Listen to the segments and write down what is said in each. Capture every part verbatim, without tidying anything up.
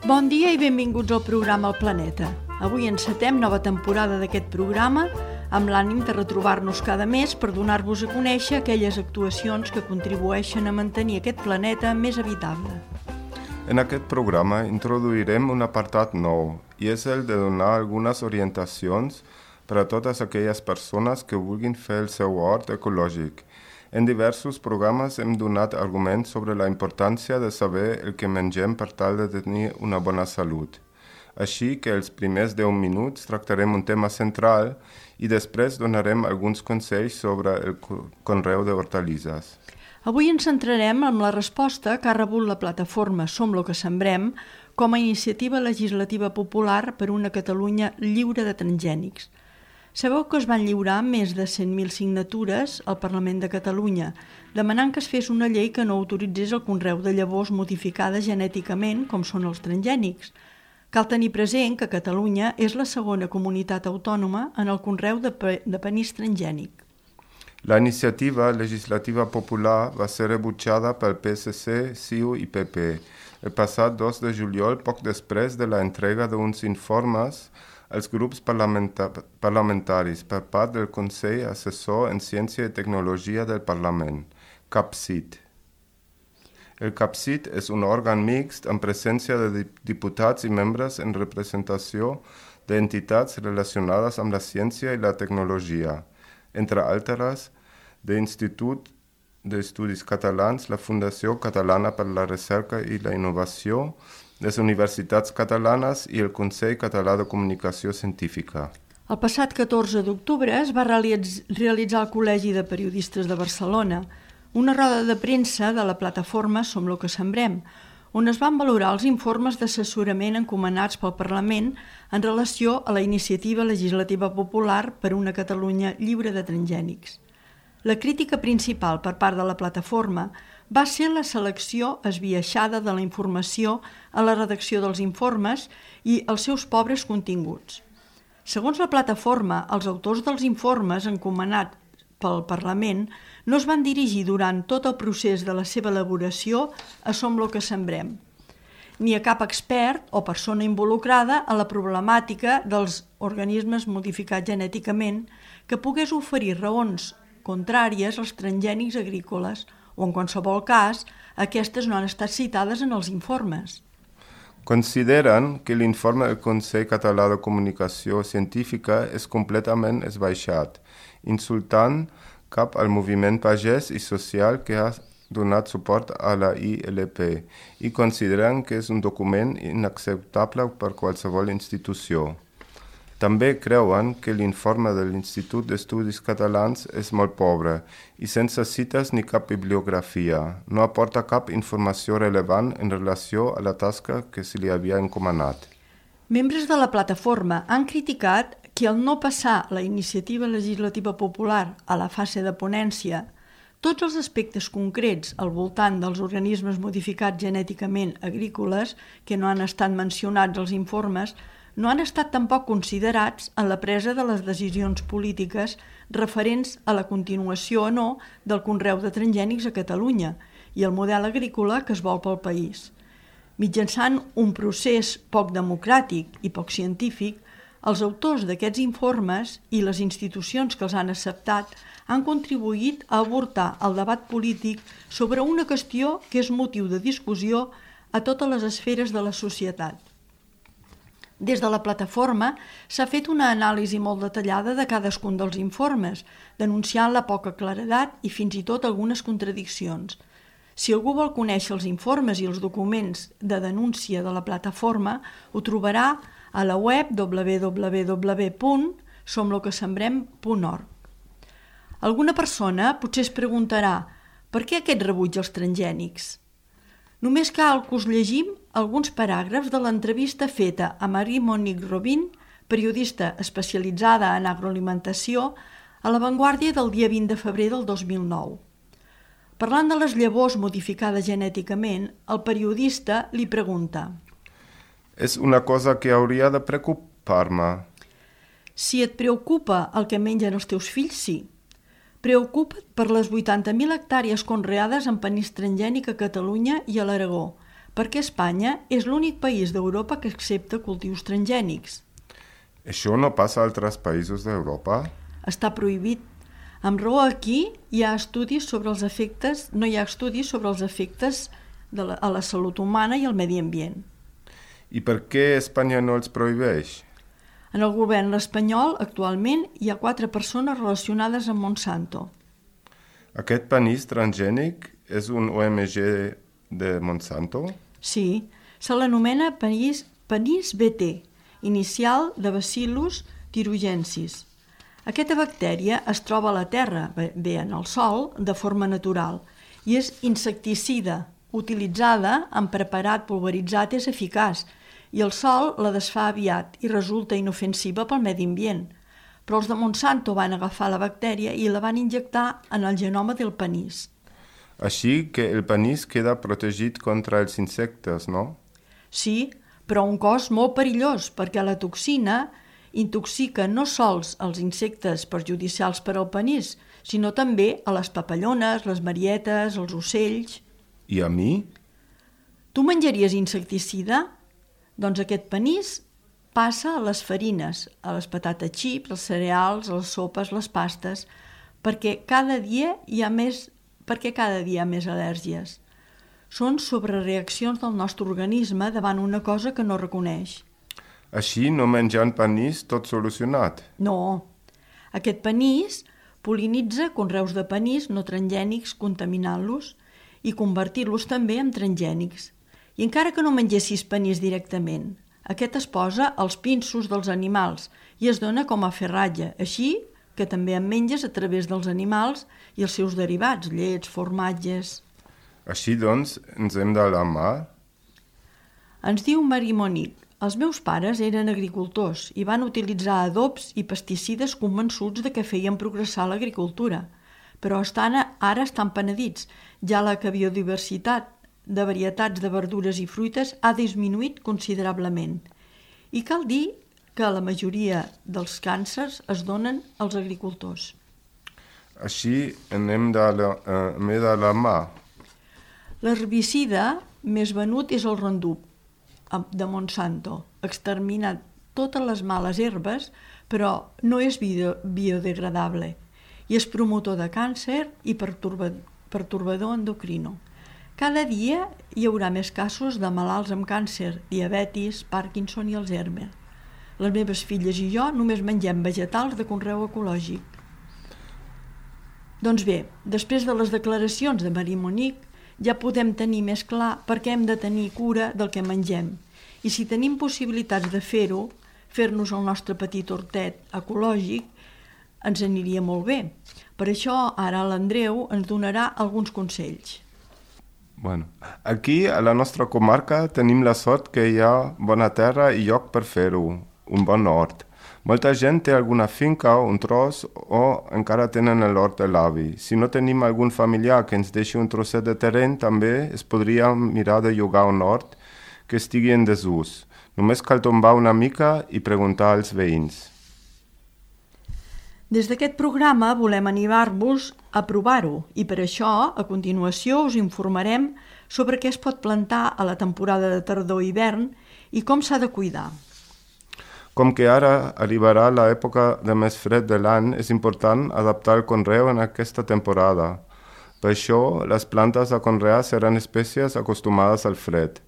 Bon dia i benvinguts al programa El Planeta. Avui encetem nova temporada d'aquest programa amb l'ànim de retrobar-nos cada mes per donar-vos a conèixer aquelles actuacions que contribueixen a mantenir aquest planeta més habitable. En aquest programa introduirem un apartat nou i és el de donar algunes orientacions per a totes aquelles persones que vulguin fer el seu hort ecològic. En diversos programes hem donat arguments sobre la importància de saber el que mengem per tal de tenir una bona salut. Així que els primers deu minuts tractarem un tema central i després donarem alguns consells sobre el conreu d'hortalisses. Avui ens centrarem en la resposta que ha rebut la plataforma Som lo que sembrem com a iniciativa legislativa popular per una Catalunya lliure de transgènics. Sabeu que es van lliurar més de cent mil signatures al Parlament de Catalunya, demanant que es fes una llei que no autoritzés el conreu de llavors modificades genèticament, com són els transgènics. Cal tenir present que Catalunya és la segona comunitat autònoma en el conreu de, pe- de panís transgènic. La iniciativa legislativa popular va ser rebutjada pel P S C, C I U i P P el passat dos de juliol, poc després de la entrega d'uns informes als grups parlamenta- parlamentaris per part del Consell Assessor en Ciència i Tecnologia del Parlament, CAPCIT. El CAPCIT és un òrgan mixt amb presència de diputats i membres en representació d'entitats relacionades amb la ciència i la tecnologia, entre altres, de l'Institut d'Estudis Catalans, la Fundació Catalana per la Recerca i la Innovació, les universitats catalanes i el Consell Català de Comunicació Científica. El passat catorze d'octubre es va realitz- realitzar al Col·legi de Periodistes de Barcelona una roda de premsa de la plataforma Som lo que sembrem, on es van valorar els informes d'assessorament encomanats pel Parlament en relació a la iniciativa legislativa popular per una Catalunya lliure de transgènics. La crítica principal per part de la plataforma va ser la selecció esbiaixada de la informació a la redacció dels informes i els seus pobres continguts. Segons la plataforma, els autors dels informes encomanats pel Parlament no es van dirigir durant tot el procés de la seva elaboració a Som lo que sembrem, ni a cap expert o persona involucrada a la problemàtica dels organismes modificats genèticament que pogués oferir raons contràries als transgènics agrícoles o, en qualsevol cas, aquestes no han estat citades en els informes. Consideren que l'informe del Consell Català de Comunicació Científica és completament esbaixat, insultant cap al moviment pagès i social que ha donat suport a la I L P i consideren que és un document inacceptable per qualsevol institució. També creuen que l'informe de l'Institut d'Estudis Catalans és molt pobre i sense cites ni cap bibliografia. No aporta cap informació rellevant en relació a la tasca que se li havia encomanat. Membres de la plataforma han criticat que al no passar la iniciativa legislativa popular a la fase de ponència, tots els aspectes concrets al voltant dels organismes modificats genèticament agrícoles que no han estat mencionats als informes no han estat tampoc considerats en la presa de les decisions polítiques referents a la continuació o no del conreu de transgènics a Catalunya i el model agrícola que es vol pel país. Mitjançant un procés poc democràtic i poc científic, els autors d'aquests informes i les institucions que els han acceptat han contribuït a avortar el debat polític sobre una qüestió que és motiu de discussió a totes les esferes de la societat. Des de la plataforma s'ha fet una anàlisi molt detallada de cadascun dels informes, denunciant la poca claredat i fins i tot algunes contradiccions. Si algú vol conèixer els informes i els documents de denúncia de la plataforma, ho trobarà a la web w w w punt som lo que sembrem punt org. Alguna persona potser es preguntarà per què aquest rebuig als transgènics? Només cal que us llegim alguns paràgrafs de l'entrevista feta a Marie-Monique Robin, periodista especialitzada en agroalimentació, a La Vanguardia del dia vint de febrer del dos mil nou. Parlant de les llavors modificades genèticament, el periodista li pregunta: És una cosa que hauria de preocupar-me. Si et preocupa el que mengen els teus fills, sí. Preocupa't per les vuitanta mil hectàrees conreades en panís transgènic a Catalunya i a l'Aragó, perquè Espanya és l'únic país d'Europa que accepta cultius transgènics. Això no passa a altres països d'Europa? Està prohibit. Amb raó aquí hi ha estudis sobre els efectes, no hi ha estudis sobre els efectes de la, a la salut humana i al medi ambient. I per què Espanya no els prohibeix? En el govern espanyol, actualment, hi ha quatre persones relacionades amb Monsanto. Aquest panís transgènic és un O M G de Monsanto? Sí, se l'anomena panís, panís B T, inicial de Bacillus thuringiensis. Aquesta bactèria es troba a la terra, bé en el sòl, de forma natural, i és insecticida, utilitzada en preparat pulveritzat és eficaç, i el sol la desfà aviat i resulta inofensiva pel medi ambient. Però els de Monsanto van agafar la bactèria i la van injectar en el genoma del panís. Així que el panís queda protegit contra els insectes, no? Sí, però un cos molt perillós, perquè la toxina intoxica no sols els insectes perjudicials per al panís, sinó també a les papallones, les marietes, els ocells. I a mi? Tu menjaries insecticida? Doncs aquest panís passa a les farines, a les patates xips, els cereals, les sopes, les pastes, perquè cada dia hi ha més, perquè cada dia hi ha més al·lèrgies. Són sobrereaccions del nostre organisme davant una cosa que no reconeix. Així, no menjant panís, tot solucionat? No. Aquest panís pol·linitza conreus de panís no transgènics contaminant-los i convertir-los també en transgènics. I encara que no mengessis panís directament, aquest es posa als pinsos dels animals i es dona com a ferratge, així que també en menges a través dels animals i els seus derivats, llets, formatges. Així doncs, ens hem d'alarmar? Ens diu Marie Monique, els meus pares eren agricultors i van utilitzar adobs i pesticides convençuts de que feien progressar l'agricultura, però estan, ara estan penedits, ja la biodiversitat de varietats de verdures i fruites ha disminuït considerablement. I cal dir que la majoria dels càncers es donen als agricultors. Així hem d'alarmar. L'herbicida més venut és el Roundup de Monsanto. Extermina totes les males herbes, però no és bio, biodegradable i és promotor de càncer i pertorbador, pertorbador endocrino. Cada dia hi haurà més casos de malalts amb càncer, diabetis, Parkinson i Alzheimer. Les meves filles i jo només mengem vegetals de conreu ecològic. Doncs bé, després de les declaracions de Marie Monique, ja podem tenir més clar per què hem de tenir cura del que mengem. I si tenim possibilitats de fer-ho, fer-nos el nostre petit hortet ecològic, ens aniria molt bé. Per això ara l'Andreu ens donarà alguns consells. Bueno, aquí a la nostra comarca tenim la sort que hi ha bona terra i lloc per fer-ho, un bon hort. Molta gent té alguna finca o un tros o encara tenen l'hort de l'avi. Si no tenim algun familiar que ens deixi un trosset de terreny, també es podria mirar de llogar un hort que estigui en desús. Només cal tombar una mica i preguntar als veïns. Des d'aquest programa volem animar-vos a provar-ho i per això, a continuació, us informarem sobre què es pot plantar a la temporada de tardor-hivern i com s'ha de cuidar. Com que ara arribarà l'època de més fred de l'any, és important adaptar el conreu en aquesta temporada. Per això, les plantes a conrear seran espècies acostumades al fred.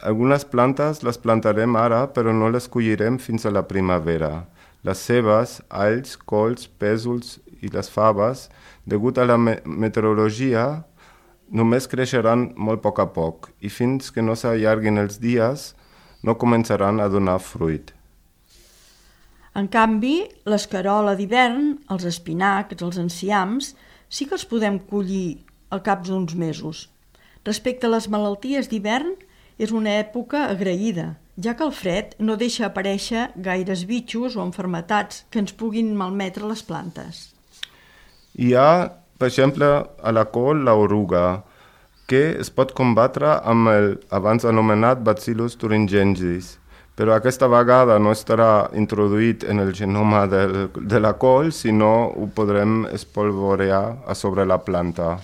Algunes plantes les plantarem ara, però no les collirem fins a la primavera. Les cebes, alls, cols, pèsols i les faves, degut a la me- meteorologia, només creixeran molt a poc a poc i fins que no s'allarguin els dies no començaran a donar fruit. En canvi, l'escarola d'hivern, els espinacs, els enciams, sí que els podem collir al cap d'uns mesos. Respecte a les malalties d'hivern, és una època agraïda, ja que el fred no deixa aparèixer gaires bitxos o enfermetats que ens puguin malmetre les plantes. Hi ha, per exemple, a la col l'oruga, que es pot combatre amb el abans anomenat Bacillus thuringiensis, però aquesta vegada no estarà introduït en el genoma del, de la col, sinó ho podrem espolvorear a sobre la planta.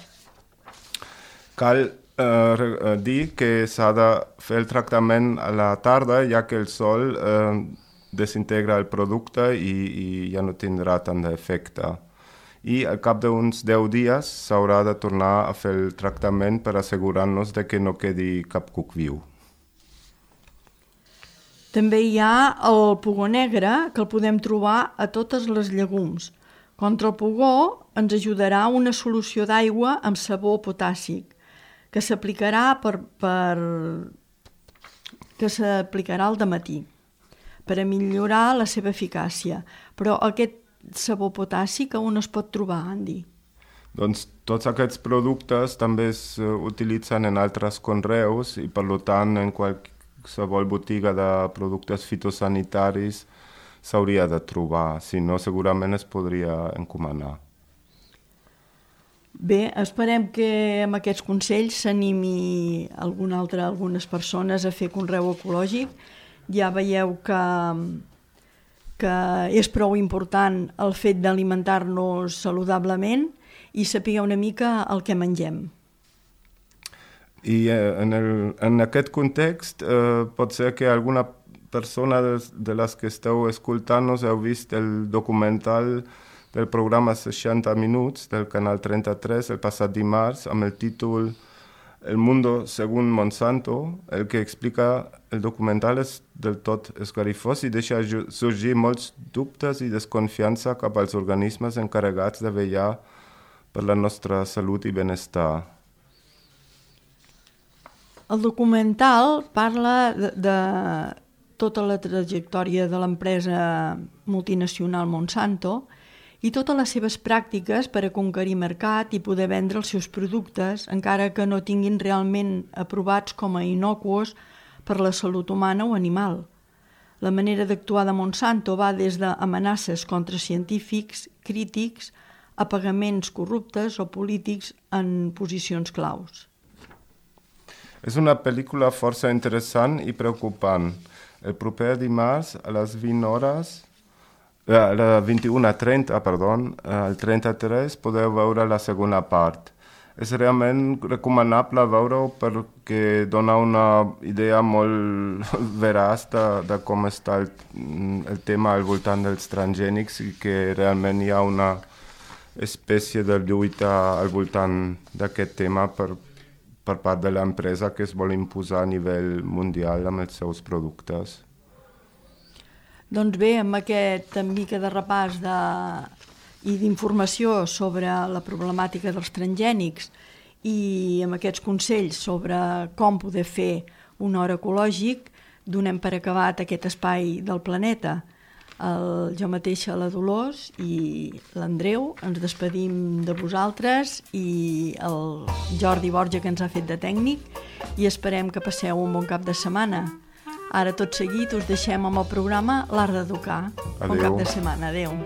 Cal eh, dir que s'ha de fer el tractament a la tarda, ja que el sol eh, desintegra el producte i, i ja no tindrà tant d'efecte. I al cap d'uns deu dies s'haurà de tornar a fer el tractament per assegurar-nos de que no quedi cap cuc viu. També hi ha el pugó negre, que el podem trobar a totes les llegums. Contra el pugó ens ajudarà una solució d'aigua amb sabó potàssic, que s'aplicarà per, per... que s'aplicarà al dematí per a millorar la seva eficàcia. Però aquest sabó potàssic on es pot trobar, Andy? Doncs tots aquests productes també es utilitzen en altres conreus i per tant en qualsevol botiga de productes fitosanitaris s'hauria de trobar, si no segurament es podria encomanar. Bé, esperem que amb aquests consells s'animi algun altre, algunes persones a fer conreu ecològic. Ja veieu que que és prou important el fet d'alimentar-nos saludablement i saber una mica el que mengem. I eh, en, el, en aquest context eh, pot ser que alguna persona de, de les que esteu escoltant-nos heu vist el documental del programa seixanta minuts del canal trenta-tres el passat dimarts amb el títol El mundo según Monsanto. El que explica el documental és del tot esgarrifós i deixa sorgir molts dubtes i desconfiança cap als organismes encarregats de vetllar per la nostra salut i benestar. El documental parla de, de tota la trajectòria de l'empresa multinacional Monsanto i totes les seves pràctiques per a conquerir mercat i poder vendre els seus productes, encara que no tinguin realment aprovats com a inocuos per la salut humana o animal. La manera d'actuar de Monsanto va des d'amenaces contra científics, crítics, a pagaments corruptes o polítics en posicions claus. És una pel·lícula força interessant i preocupant. El proper dimarts a les vint hores... A la vint-i-una trenta, perdó, al trenta-tres podeu veure la segona part. És realment recomanable veure-ho perquè dona una idea molt veraç de, de com està el, el tema al voltant dels transgènics i que realment hi ha una espècie de lluita al voltant d'aquest tema per, per part de l'empresa que es vol imposar a nivell mundial amb els seus productes. Doncs bé, amb aquest mica de repàs de, i d'informació sobre la problemàtica dels transgènics i amb aquests consells sobre com poder fer un hort ecològic, donem per acabat aquest espai del planeta. El, jo mateixa, la Dolors i l'Andreu, ens despedim de vosaltres i el Jordi Borja, que ens ha fet de tècnic, i esperem que passeu un bon cap de setmana. Ara, tot seguit, us deixem amb el programa L'Art d'Educar. Bon cap de setmana. Adéu.